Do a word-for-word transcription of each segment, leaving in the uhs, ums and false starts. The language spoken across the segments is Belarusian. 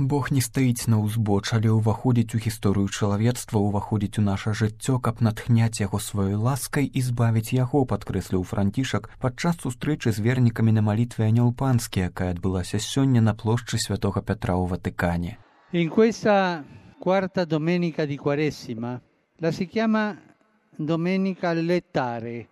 Бог не стаіць на ўзбоч, але ўваходзіць у гісторыю чалавецтва, ўваходзіць у наша жыццё, каб натхняць яго сваёй ласкай і збавіць яго, падкрэсліў Францішак падчас сустрэчы з вернікамі на малітве Анёл Панскі, якая адбылася сёння на плошчы Святога Пятра ў Ватыкане. In questa quarta domenica di Quaresima la si chiama Domenica Allettare,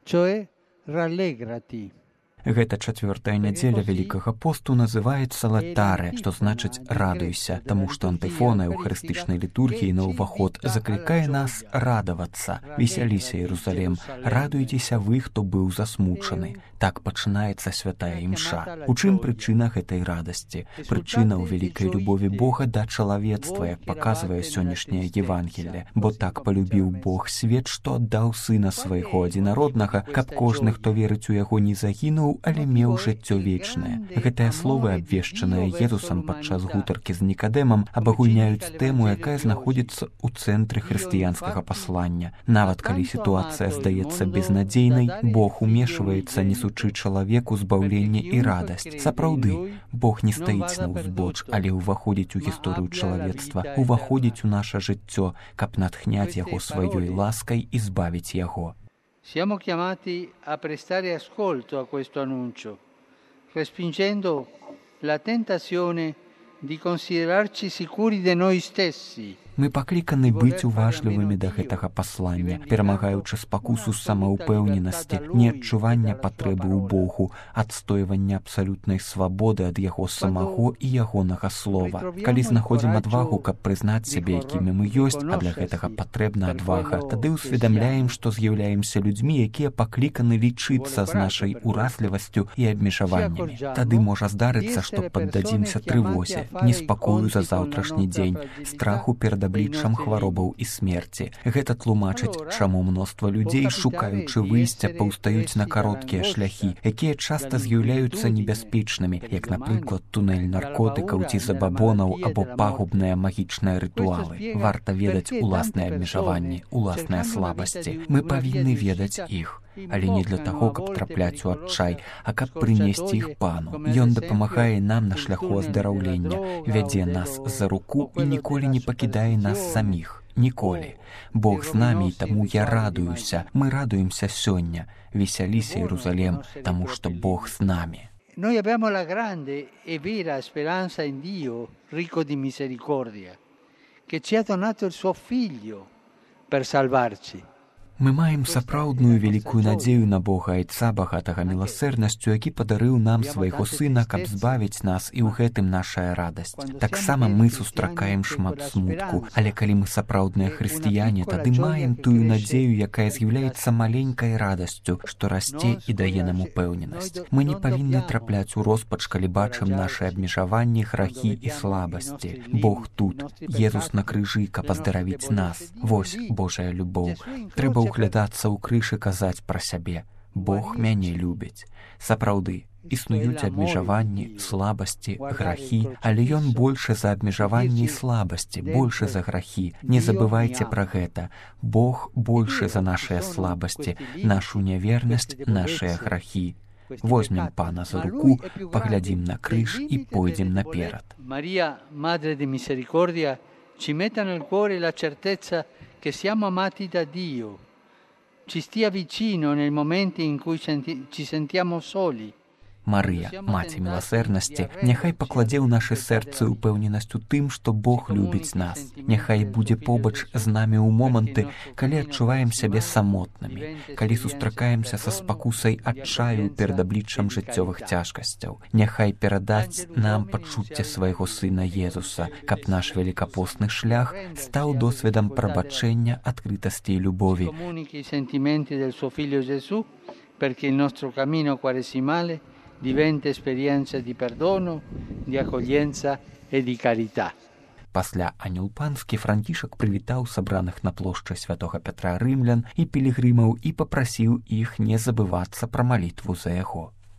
cioè rallegrati. Гэта чацвёртая нядзеля Вялікага посту называецца латаре, што значыць «радуйся», таму што антыфона эўхарыстычнай літургіі на ўваход заклікае нас радавацца. «Весяліся, Іерусалем, радуйцеся вы, хто быў засмучаны». Так пачынаецца святая імша. У чым прычына гэтай радасці? Прычына ў вялікай любові Бога да чалавецтва, як паказвае сённяшняе Евангелле. Бо так палюбіў Бог свет, што аддаў сына свайго адзінароднага, каб кожны, хто верыць у яго, не загінуў, але меў жыццё вечнае. Гэтыя словы, абвешчаныя Езусам падчас гутаркі з Нікадэмам, абагульняюць тэму, якая знаходзіцца ў цэнтры хрысціянскага паслання. Нават калі сітуацыя здаецца безнадзейнай, Бог умешваецца, несучы чалавеку збаўленне і радасць. Сапраўды, Бог не стаіць на ўзбоч, але ўваходзіць у гісторыю чалавецтва, ўваходзіць у наша жыццё, каб натхняць яго сваёй ласкай і збавіць яго. Siamo chiamati a prestare ascolto a questo annuncio, respingendo la tentazione di considerarci sicuri di noi stessi. Мы пакліканы быць уважлівымі да гэтага паслання, перамагаючы спакусу самаўпэўненасці, неадчування патрэбы ў Богу, адстойвання абсалютнай свабоды ад яго самого і ягонага слова. Калі знаходзім адвагу, каб прызнаць сябе, якімі мы ёсць, а для гэтага патрэбна адвага, тады ўсведамляем, што з'яўляемся людзьмі, якія пакліканы лічыцца з нашай уразлівасцю і абмежаваннямі. Тады можа здарыцца, што паддадзімся трывозе, неспакою за заўтрашні дзень, страху перад абліччам хваробаў і смерці. Гэта тлумачыць, чаму мноства людзей, шукаючы выйсця, паўстаюць на кароткія шляхі, якія часта з'яўляюцца небяспечнымі, як, напрыклад, тунэль наркотыкаў ці забабонаў або пагубныя магічныя рытуалы. Варта ведаць уласныя абмежаванні, уласныя слабасці. Мы павінны ведаць іх. Але не для таго, каб трапляць у адчай, а каб прынесці іх Пану. Ён дапамагае нам на шляху аздараўлення, вядзе нас за руку і ніколі не пакідае нас саміх. Ніколі. Бог з намі, таму я радуюся. Мы радуемся сёння. Весяліся, Іерусалем, таму што Бог з намі. Noi abbiamo la grande e vera speranza in Dio, ricco di misericordia, che ci ha donato il suo figlio per salvarci. Мы маем сапраўдную вялікую надзею на Бога Айца, багатага міласэрнасцю, які падарыў нам свайго сына, каб збавіць нас, і ў гэтым нашая радасць. Таксама мы сустракаем шмат смутку, але калі мы сапраўдныя хрысціяне, тады маем тую надзею, якая з'яўляецца маленькай радасцю, што расце і дае нам упэўненасць. Мы не павінны трапляць у роспач, калі бачым нашы абмежаванні, грахі і слабасці. Бог тут, Езус на крыжы, каб аздаравіць нас. Вось Божая любоў. Трэба углядацца ў крыж і казаць пра сябе. Бог мяне любіць. Сапраўды, існуюць абмежаванні, слабасці, грахі, але Ён большы за абмежаванні і слабасці, большы за грахі. Не забывайце пра гэта. Бог большы за нашыя слабасці, нашу нявернасць, нашыя грахі. Возьмем Пана за руку, паглядзім на крыж і пойдзем наперад. Марія, Madre di Misericordia, ci metta nel cuore la certezza che siamo amati da Dio. Ci stia vicino nel momento in cui senti, ci sentiamo soli. Марыя, Маці міласэрнасці, няхай пакладзе ў нашы сэрцы ўпэўненасць у тым, што Бог любіць нас. Няхай будзе побач з намі ў моманты, калі адчуваем сябе самотнымі, калі сустракаемся са спакусай адчаю перад абліччам жыццёвых цяжкасцяў. Няхай перадаць нам пачуцце свайго сына Езуса, каб наш великапостны шлях стаў досведам прабачэння, адкрытасці і любові. Perché il nostro cammino quaresimale diventa esperienza di perdono, di accoglienza e di carità. Пасля Анёл Панскі Францішак прывітаў сабраных на плошчы Святога Пятра рымлян і пілігрымаў і папрасіў іх не забывацца пра малітву за яго.